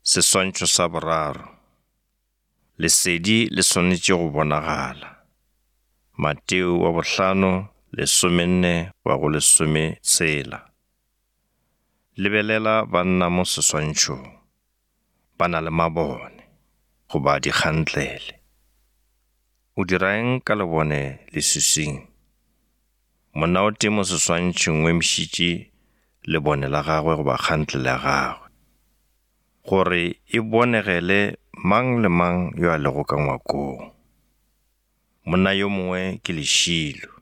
Seswantšho sa boraro. Lesedi le swanetše go bonagala. Mateo wa bohlano, lesomenne wa go lesometshela. Lebelela banna mo seswantšhong. Ba na le mabone, goba dikgantlele. O dira eng ka lebone leswiswing? Monna o tee mo seswantšhong o emišitše lebone la gagwe goba kgantlele ya gagwe, gore e bonegele mang le mang yo a lego ka ngwakong. Monna yo mongwe ke lešilo.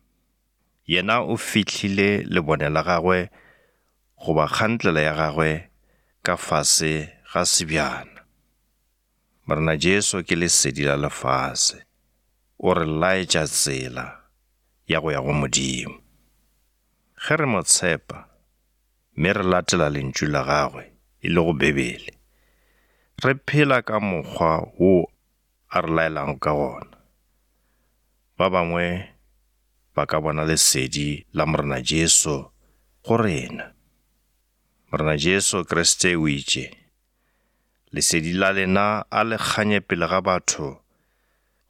Yena o fihlile lebone la gagwe goba kgantlela ya gagwe ka fase ga sebjana. Morena Jesu ke lesedi la lefase. O re laetša tsela ya go ya go Modimo. Ge re mo tshepa mme re latela lentšu la gagwe, e lego Bibele, re phela ka mokgwa wo a re laelago ka gona. Ba bangwe ba ka bona lesedi la Morena Jesu go rena. Morena Jesu Kriste o itše, Lesedi la lena a le kganye pele ga batho,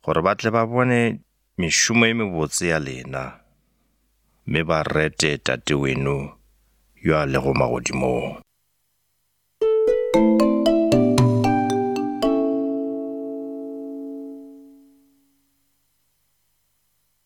gore ba tle ba bone mešomo e mebotse ya lena, mme ba rete Tate weno yo a lego magodimong.